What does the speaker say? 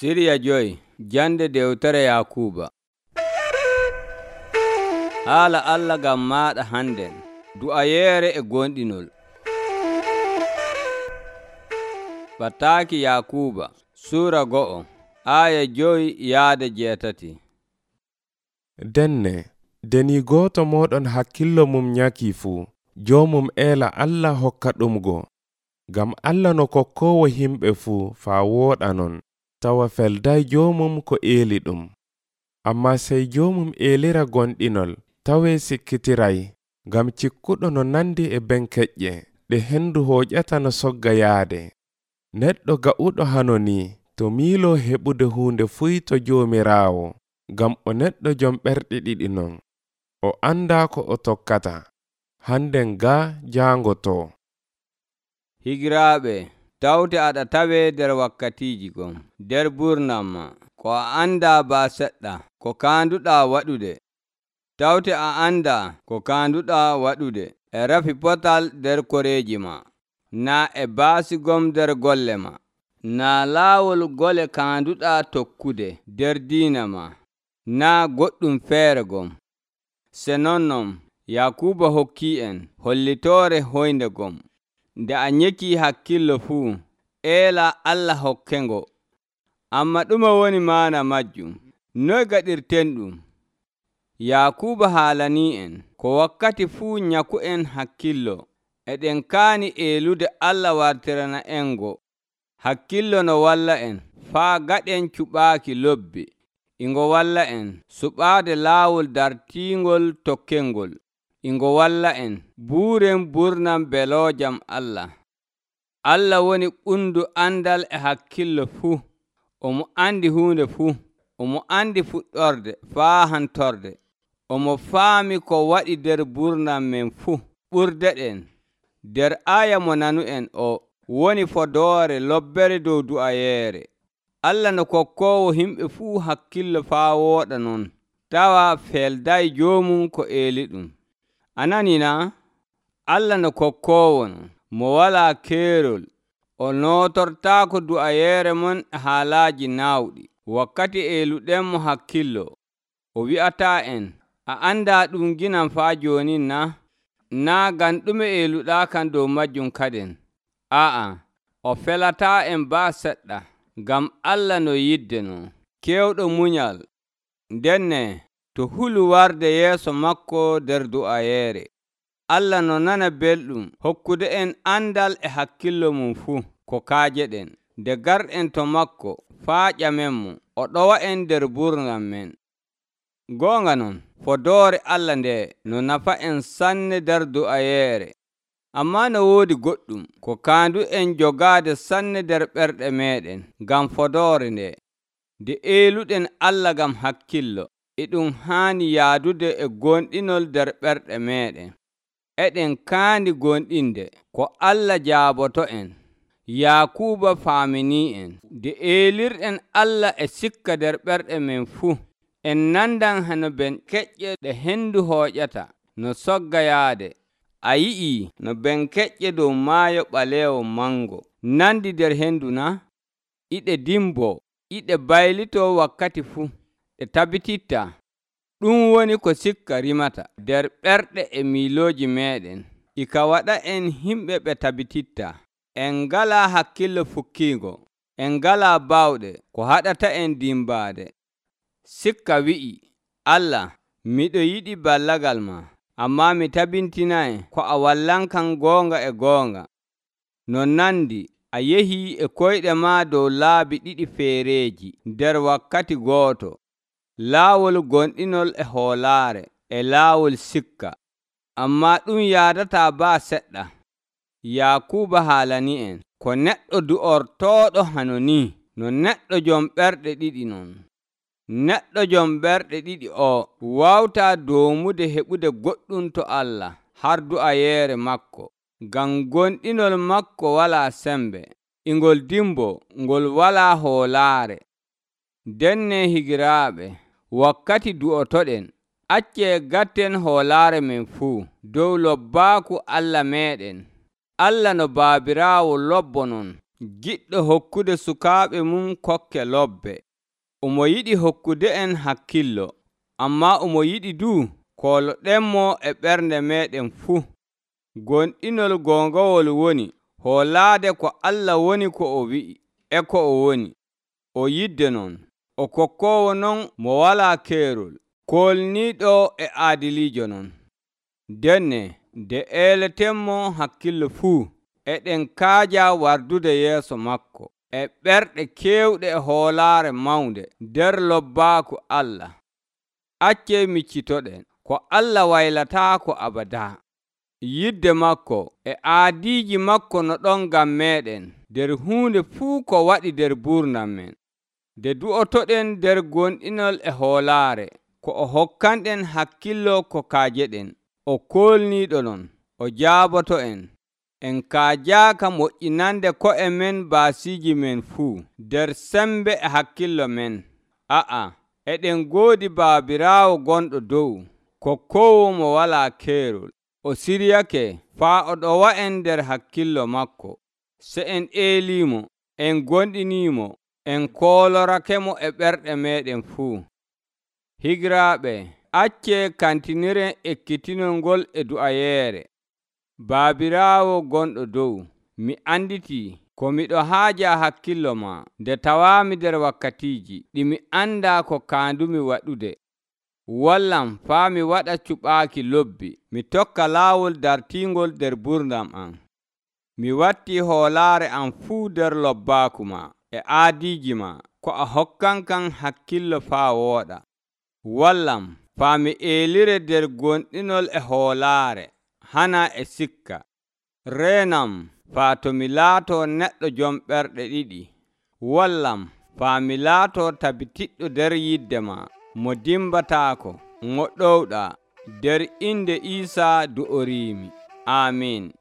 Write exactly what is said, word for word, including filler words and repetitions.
Siriya joyi jande dewtere Yakuuba. Haala Allah ngam maaɗa hannden, du'ayeere e gonɗinol. Ɓataaki Yakuuba Suura go'o aaya joyi yaade jeetati. Denne, deni gooto mooɗon hakkillo mum nyaki fuu, joomum eela Allah hokka ɗumgo. Ngam Allah no kokkoowo himɓe fuu faa wooɗa non, tawa felday joomum ko eeli ɗum. Ammaa sey joomum eelira gonɗinol, tawee sikkitiray, ngam cikkuɗo no nandi e ben keƴƴe, ɗe hendu hooƴata no sogga yaade. Neɗɗo ga'uɗo hano ni, to miiloo heɓude huunde fuy to Joomiraawo, ngam o neɗɗo jom ɓerɗe ɗiɗi non. O andaa ko o tokkata, hannden gaa jaangotoo. Higiraaɓe, tawte aɗa tawee nder wakkatiiji gon, nder burnam ma, ko a andaa baa seɗɗa, ko kaanduɗaa waɗude. Tawte a andaa ko kaanduɗaa waɗude e rafi potal nder koreeji ma, naa e baasi gom nder golle ma, naa laawol gole kaanduɗaa tokkude nder diina ma, naa goɗɗum feere gom. Se nonnon, Yakuuba hokkii en hollitoore hoynde gom. Nde a nyekii hakkillo fuu, eela Allah hokkengo. Amma ɗuma woni maana majjum? Noy gaɗirten ɗum? Yakuuba haalanii en ko wakkati fuu nyaku'en hakkillo, eɗen kaani eelude Allah wartirana engo. Hakkillo no walla en faa gaɗen cuɓaaki lobbi, ingo walla en suɓaade laawol dartiingol tokkengol, ingo walla en buuren burnam beloojam Allah. Allah woni ɓundu andal e hakkillo fuu. Omo andi huunde fuu. Omo andi fuɗɗorde faa hantorde. Omo faami ko waɗi nder burnam men fuu. Ɓurdeɗen nder aaya mo nanu'en o woni fodoore lobbere dow du'ayeere. Allah no kokkoowo himɓe fuu hakkillo faa wooɗa non, tawa felday joomum ko eeli ɗum. A nanii naa? Allah no kokkoowo non, mo walaa keerol. O nootortaako du'ayeere mon e haalaaji naawɗi. Wakkati eeluɗenmo hakkillo, o wi'ataa en, a andaa ɗum ginam faa jooni naa? Naa ngam ɗume eeluɗaa kan dow majjum kaden? Aa'a, o felataa en baa seɗɗa, ngam Allah no yidde non, keewɗo munyal. Ndenne to hulu warde yeeso makko nder du'ayeere. Allah no nana belɗum hokkude en andal e hakkillo mum fuu ko kaajeɗen, nde garɗen to makko faa ƴamenmo, o ɗowa en nder burnam men. Goonga non, fodoore Allah nde no nafa en sanne nder du'ayeere. Ammaa no woodi goɗɗum ko kaandu en jogaade sanne nder ɓerɗe meeɗen ngam fodoore nde. Nde eeluɗen Allah ngam hakkillo, e ɗum haani yaadude e gonɗinol nder ɓerɗe meeɗen. Eɗen kaandi gonɗinde ko Allah jaaboto en. Yakuuba faaminii en. Nde eelirɗen Allah e sikka nder ɓerɗe men fuu, en nandan hano ben keƴƴe ɗe hendu hooƴata no sogga yaade. A yi'ii no ben keƴƴe dow maayo ɓaleewo mango nandi nder hendu na? Iɗe dimbo, iɗe baylitoo wakkati fuu, ɗe tabititta. Ɗum woni ko sikka rimata nder ɓerɗe e miilooji meeɗen. Ika waɗa en himɓe ɓe tabititta. En ngalaa hakkillo fukkiingo. En ngalaa baawɗe ko haɗata en dimbaade. Sikka wi'i, Allah, miɗo yiɗi ballagal ma, ammaa mi tabintinay ko a wallankam goonga e goonga. No nandi a yehii e koyɗe maa dow laabi ɗiɗi feereeji nder wakkati gooto, laawol gonɗinol e hoolaare, e laawol sikka. Ammaa ɗum yaadataa baa seɗɗa. Yakuuba haalanii en ko neɗɗo du'ortooɗo hano ni, no neɗɗo jom ɓerɗe ɗiɗi non. Neɗɗo jom ɓerɗe ɗiɗi o waawtaa doomude heɓude goɗɗum to Allah har du'ayeere makko, ngam gonɗinol makko walaa sembe, ingol dimbo, ngol walaa hoolaare. Denne higiraaɓe, wakkati du'otoɗen, accee gatten hoolaare men fuu dow lobbaaku Allah meeɗen. Allah no Baabiraawo lobbo non, giɗɗo hokkude sukaaɓe mum kokke lobbe. Omo yiɗi hokkude en hakkillo, amma omo yiɗi du kooloɗenmo e ɓernde meɗen fuu. Gonɗinol goongawol woni hoolaade ko Allah woni ko o wi'i e ko o woni. O yidde non, o kokkoowo non mo walaa keerol, koolniiɗo e aadiliijo non. Denne nde eeletenmo hakkillo fuu, eɗen kaaja wardude yeeso makko e ɓerɗe keewɗe e hoolaare mawnde nder lobbaaku Allah. Accee miccitoɗen ko Allah waylataako abadaa. Yidde makko e aadiiji makko no ɗon ngam meeɗen nder huunde fuu ko waɗi nder buurnam men. Nde du'otoɗen nder gonɗinol e hoolaare, ko o hokkanɗen hakkillo ko kaajeɗen. O koolniiɗo non, o jaaboto en. En kaajaaka moƴƴinande ko'e men baasiiji men fuu nder sembe e hakkillo men. A'a, eɗen ngoodi Baabiraawo gonɗo dow, kokkoowo mo walaa keerol. O siryake faa o ɗowa'en nder hakkillo makko. Se en eeliimo, en gonɗiniimo, en koolorakemo e ɓerɗe meɗen fuu. Higiraaɓe, accee kantiniren ekkitinol ngol e du'ayeere. Baabiraawo gonɗo dow, mi anditii ko miɗo haaja hakkillo ma nde tawaami nder wakkatiiji ɗi mi anndaa ko kaandumi waɗude. Wallam faa mi waɗa cuɓaaki lobbi, mi tokka laawol dartiingol nder gurdam am. Mi wattii hoolaare am fuu nder lobbaaku ma e aadiiji ma, ko a hokkankam hakkillo faa wooɗa. Wallam faa mi eelire nder gonɗinol e hoolaare, hana e sikka. Reenam faa to mi laatoo neɗɗo jom ɓerɗe ɗiɗi. Wallam faa mi laatoo tabitiɗɗo nder yidde ma, mo dimbataako, mo ɗowɗaa, nder inde Iisaa du'oriimi. Amiin.